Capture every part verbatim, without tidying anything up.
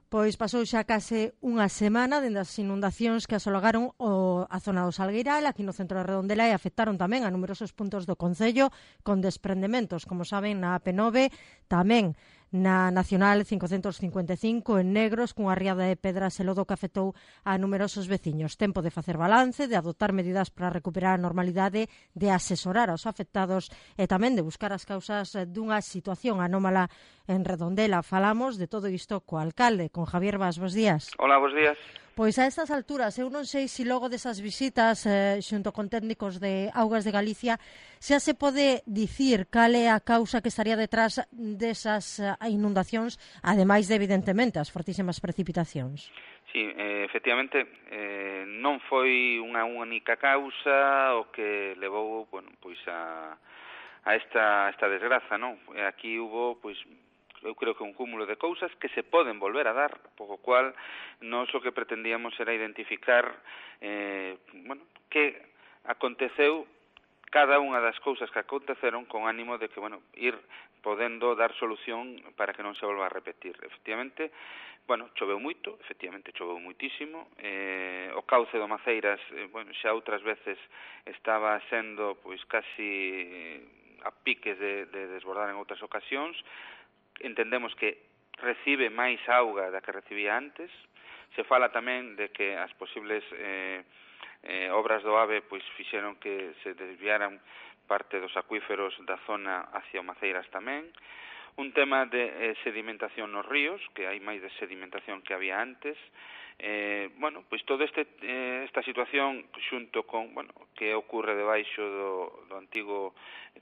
Pois pasou xa case unha semana dende as inundacións que asologaron o, a zona do Salgueiral, aquí no centro de Redondela, e afectaron tamén a numerosos puntos do concello con desprendementos, como saben, na A P nove, tamén na Nacional cincocentos cincuenta e cinco en Negros, cunha riada de pedras e lodo que afectou a numerosos veciños. Tempo de facer balance, de adoptar medidas para recuperar a normalidade, de asesorar aos afectados e tamén de buscar as causas dunha situación anómala en Redondela. Falamos de todo isto co alcalde, con Javier Bas. Bos días. Hola, bos días. Pois a estas alturas, eu non sei se logo desas visitas eh, xunto con técnicos de Augas de Galicia xa se pode dicir cal é a causa que estaría detrás desas eh, inundacións, ademais de, evidentemente, as fortísimas precipitacións. Sí, eh, efectivamente, eh, non foi unha única causa o que levou, bueno, pois a, a esta, esta desgraza, non? Aquí hubo, pois, eu creo que un cúmulo de cousas que se poden volver a dar, poco cual nós o que pretendíamos era identificar eh, bueno, que aconteceu cada unha das cousas que aconteceron con ánimo de que, bueno, ir podendo dar solución para que non se volva a repetir. Efectivamente, bueno, choveu moito, efectivamente choveu moitísimo, eh, o cauce do Maceiras, eh, bueno, xa outras veces estaba sendo, pois, casi a piques de, de desbordar en outras ocasións. Entendemos que recibe máis auga da que recibía antes. Se fala tamén de que as posibles eh, eh, obras do AVE pois fixeron que se desviaran parte dos acuíferos da zona hacia o Maceiras tamén. Un tema de eh, sedimentación nos ríos, que hai máis de sedimentación que había antes. Eh, bueno, pois todo este eh, esta situación xunto con, bueno, que ocorre debaixo do, do antigo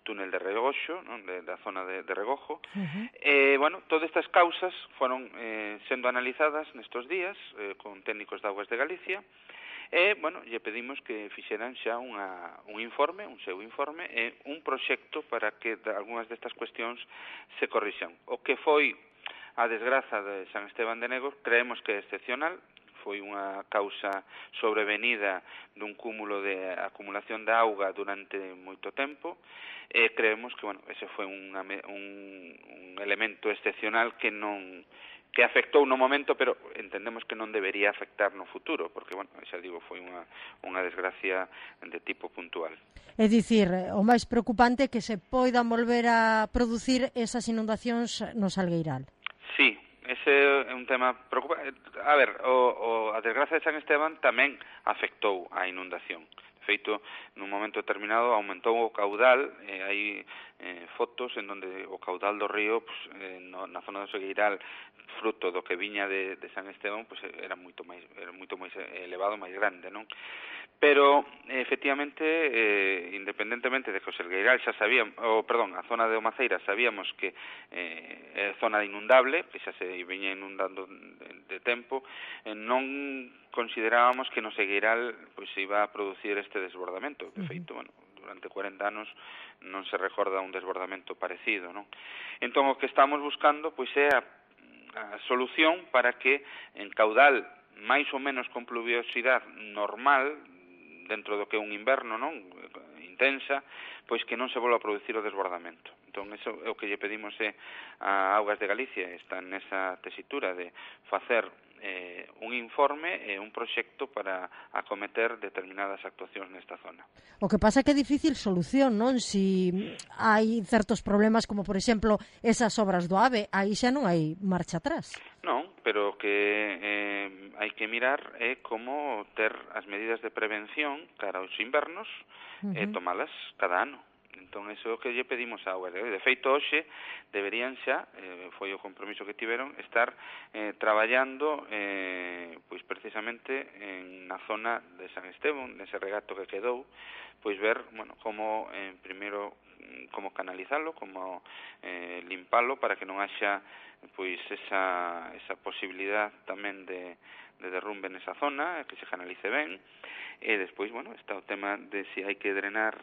túnel de Regoxo, non? De, da zona de, de Regojo. Uh-huh. Eh, bueno, todas estas causas foron eh, sendo analizadas nestes días eh, con técnicos de Augas de Galicia. E, bueno, lle pedimos que fixeran xa unha, un informe, un seu informe, e un proxecto para que algunhas destas cuestións se corrixan. O que foi a desgraza de San Esteban de Negros creemos que é excepcional, foi unha causa sobrevenida dun cúmulo de acumulación de auga durante moito tempo, e creemos que, bueno, ese foi un, un, un elemento excepcional que non que afectou no momento, pero entendemos que non debería afectar no futuro, porque, bueno, xa digo, foi unha, unha desgracia de tipo puntual. É dicir, o máis preocupante é que se poidan volver a producir esas inundacións no Salgueiral. Sí, ese é un tema preocupante. A ver, o, o, a desgracia de San Esteban tamén afectou a inundación. De feito, nun momento determinado aumentou o caudal, e hai eh, fotos en donde o caudal do río, pues, eh, no, na zona do Salgueiral, fruto do que viña de, de San Esteban, pues, era moito máis era moito máis elevado, máis grande, non? Pero, efectivamente, eh, independentemente de que o Salgueiral xa sabíamos, oh, perdón, a zona de Maceiras sabíamos que eh, é zona inundable, que xa se viña inundando de, de tempo, eh, non considerábamos que no Salgueiral pois, se iba a producir este desbordamento. De feito, bueno, durante cuarenta anos non se recorda un desbordamento parecido, non? Entón, o que estamos buscando pois é a, a solución para que en caudal máis ou menos con pluviosidade normal, dentro do que é un inverno, non, intensa, pois que non se volva a producir o desbordamento. Entón, eso é o que lle pedimos é a Augas de Galicia, está nesa tesitura de facer eh, un informe e un proxecto para acometer determinadas actuacións nesta zona. O que pasa é que é difícil solución, non? Si hai certos problemas como, por exemplo, esas obras do AVE, aí xa non hai marcha atrás. Non, pero que eh, hai que mirar é como ter as medidas de prevención cara aos invernos uh-huh. e tomalas cada ano. Entón, iso é o que lle pedimos a Augas. De feito, hoxe deberían xa, eh, foi o compromiso que tiveron, estar eh, traballando eh, pois precisamente en na zona de San Esteban, nese regato que quedou, pois ver, bueno, como eh, primeiro como canalizalo, como eh, limpalo para que non haxa pois esa, esa posibilidad tamén de, de derrumbe nesa zona, que se canalice ben, e despois, bueno, está o tema de se hai que drenar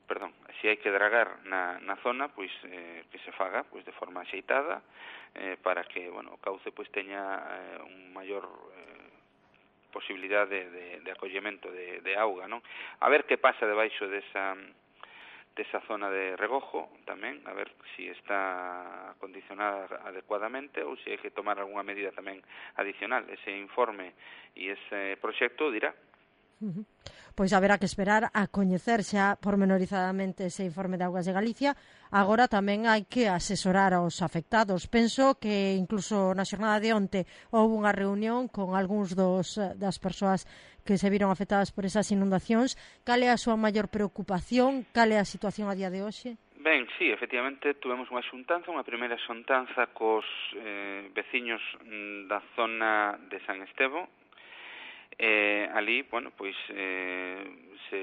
perdón, se hai que dragar na, na zona, pois eh, que se faga pois de forma axeitada eh, para que, bueno, o cauce pois teña eh, un maior eh, posibilidade de, de, de acollemento de, de auga, non? A ver que pasa debaixo desa desa zona de regojo tamén, a ver se si está acondicionada adecuadamente ou se hai que tomar algunha medida tamén adicional. Ese informe e ese proxecto dirá. Uh-huh. Pois haberá que esperar a coñecer xa pormenorizadamente ese informe de Augas de Galicia. Agora tamén hai que asesorar aos afectados. Penso que incluso na xornada de onte houve unha reunión con algúns dos, das persoas que se viron afectadas por esas inundacións. Cal é a súa maior preocupación? Cal é a situación a día de hoxe? Ben, sí, efectivamente, tuvemos unha xuntanza, unha primeira xuntanza cos eh, veciños da zona de San Estevo. Eh, ali, bueno, pois eh, se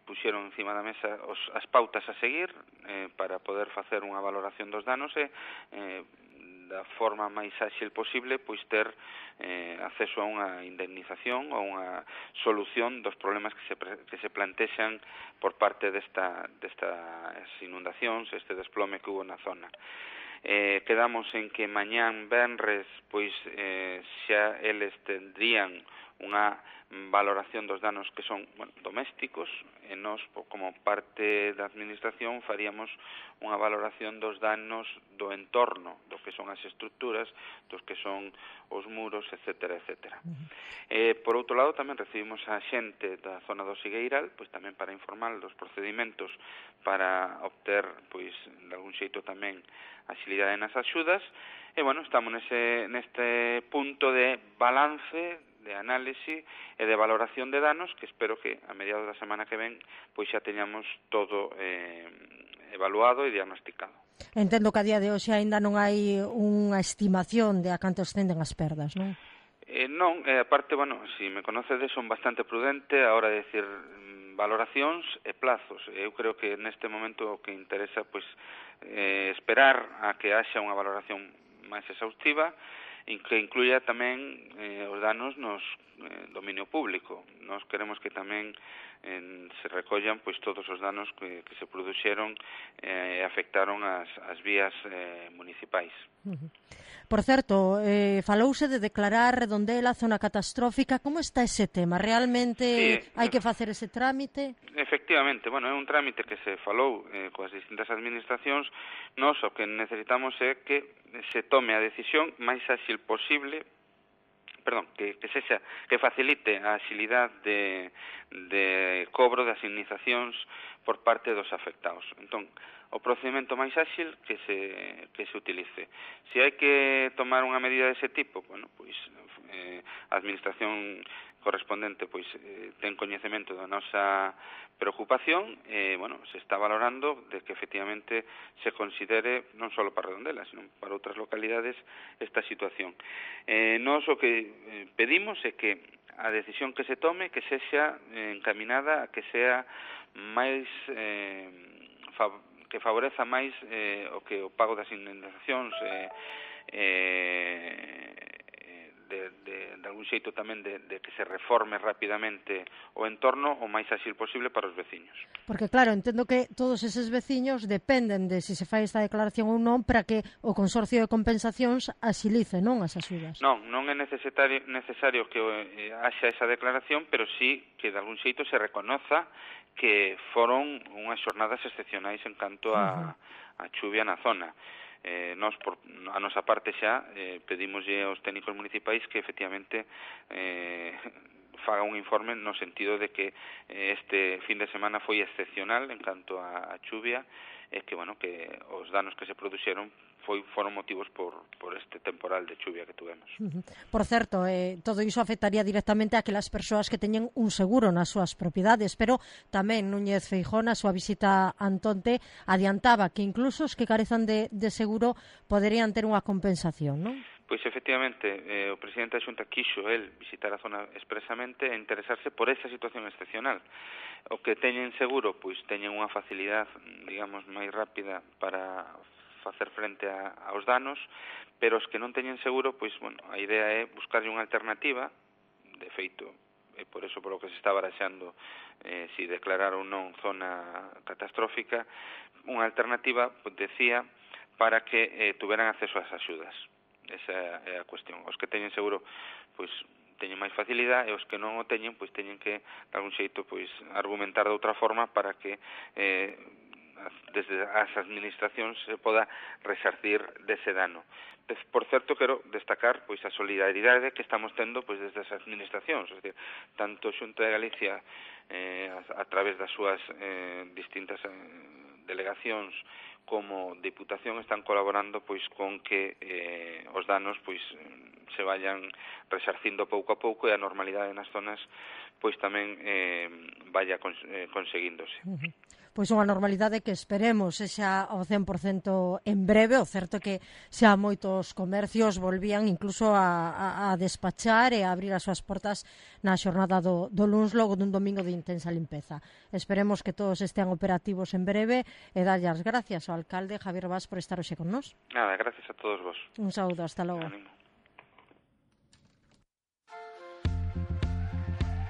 puxeron encima da mesa os, as pautas a seguir eh, para poder facer unha valoración dos danos e eh, da forma máis áxil posible pois ter eh, acceso a unha indemnización ou unha solución dos problemas que se, que se plantexan por parte desta, destas inundacións, este desplome que hubo na zona. Eh, quedamos en que mañán venres pois eh, xa eles tendrían unha valoración dos danos que son, bueno, domésticos, e nós, como parte da administración, faríamos unha valoración dos danos do entorno, do que son as estructuras, dos que son os muros, etcétera, etcétera. Uh-huh. Eh, por outro lado, tamén recibimos a xente da zona do Sigueiral, pois tamén para informar dos procedimentos para obter, pois, de algún xeito tamén, axilidade nas axudas, e, bueno, estamos nese, neste punto de balance, de análise e de valoración de danos que espero que a mediados da semana que ven pois xa teñamos todo eh, evaluado e diagnosticado. Entendo que a día de hoxe aínda non hai unha estimación de a canto ascenden as perdas, non? Eh, non, eh, aparte, bueno, se si me conocedes, son bastante prudente a hora de decir valoracións e plazos. Eu creo que neste momento o que interesa pois eh, esperar a que haxa unha valoración máis exhaustiva e que incluya tamén eh, os danos nos eh, dominio público. Nós queremos que tamén eh, se recollan pois todos os danos que, que se produxeron e eh, afectaron as, as vías eh, municipais. Uh-huh. Por certo, eh, falouse de declarar Redondela zona catastrófica. Como está ese tema? Realmente sí, hai que facer ese trámite? Efectivamente, bueno, é un trámite que se falou eh, coas distintas administracións. Nós o que necesitamos é que se tome a decisión máis áxil posible, perdón, que, que sexa, que facilite a axilidade de, de cobro das indemnizacións por parte dos afectados. Entón, o procedimento máis áxil que se, que se utilice. Se hai que tomar unha medida dese tipo, bueno, pois eh, a administración correspondente pois eh, ten coñecemento da nosa preocupación e, eh, bueno, se está valorando de que efectivamente se considere non só para Redondela, sino para outras localidades esta situación. Eh, nós o que eh, pedimos é que a decisión que se tome que sexa eh, encaminada a que sea máis eh, favorable que favoreza máis eh, o que o pago das indemnizacións eh, eh, de, de, de algún xeito tamén de, de que se reforme rapidamente o entorno o máis áxil posible para os veciños. Porque claro, entendo que todos eses veciños dependen de se se fai esta declaración ou non para que o Consorcio de Compensacións axilice, non, as axudas. Non, non é necesario, necesario que eh, haxa esa declaración, pero sí que de algún xeito se reconoza que foron unhas xornadas excepcionais en canto a, a chuvia na zona. Eh, nós, por a nosa parte xa, eh, pedimoslle aos técnicos municipais que efectivamente eh, faga un informe no sentido de que eh, este fin de semana foi excepcional en canto a, a chuvia e que, bueno, que os danos que se produxeron foi, foron motivos por, por este temporal de chuvia que tuvemos. Uh-huh. Por certo, eh, todo iso afectaría directamente a aquelas persoas que teñen un seguro nas súas propiedades, pero tamén Núñez Feijóo, na súa visita a Antonte, adiantaba que incluso os que carezan de, de seguro poderían ter unha compensación, non? Pois efectivamente, eh, o presidente da Xunta quixo el visitar a zona expresamente e interesarse por esa situación excepcional. O que teñen seguro, pois teñen unha facilidade, digamos, máis rápida para facer frente a, aos danos, pero os que non teñen seguro, pois, bueno, a idea é buscarlle unha alternativa, de feito, e por eso por o que se está baraxando eh, si declarar ou non zona catastrófica, unha alternativa, pois, decía, para que eh, tuveran acceso ás axudas. Esa é a cuestión. Os que teñen seguro, pois, teñen máis facilidade, e os que non o teñen, pois, teñen que, de algún xeito, pois, argumentar de outra forma para que eh, desde as administracións se poda resarcir dese dano. Por certo, quero destacar pois a solidaridade que estamos tendo pois desde as administracións, é dicir, tanto Xunta de Galicia eh, a, a través das súas eh, distintas eh, delegacións como Diputación están colaborando pois con que eh, os danos pois se vayan resarcindo pouco a pouco e a normalidade nas zonas pois tamén eh, vaya cons eh, conseguíndose. Uh-huh. Pois unha normalidade que esperemos sexa ao cen por cento en breve. O certo é que xa moitos comercios volvían incluso a, a, a despachar e a abrir as súas portas na xornada do, do luns logo dun domingo de intensa limpeza. Esperemos que todos estean operativos en breve e darlle as gracias ao alcalde Javier Bas por estar hoxe con nós. Nada, gracias a todos vos. Un saúdo, hasta logo. Ánimo.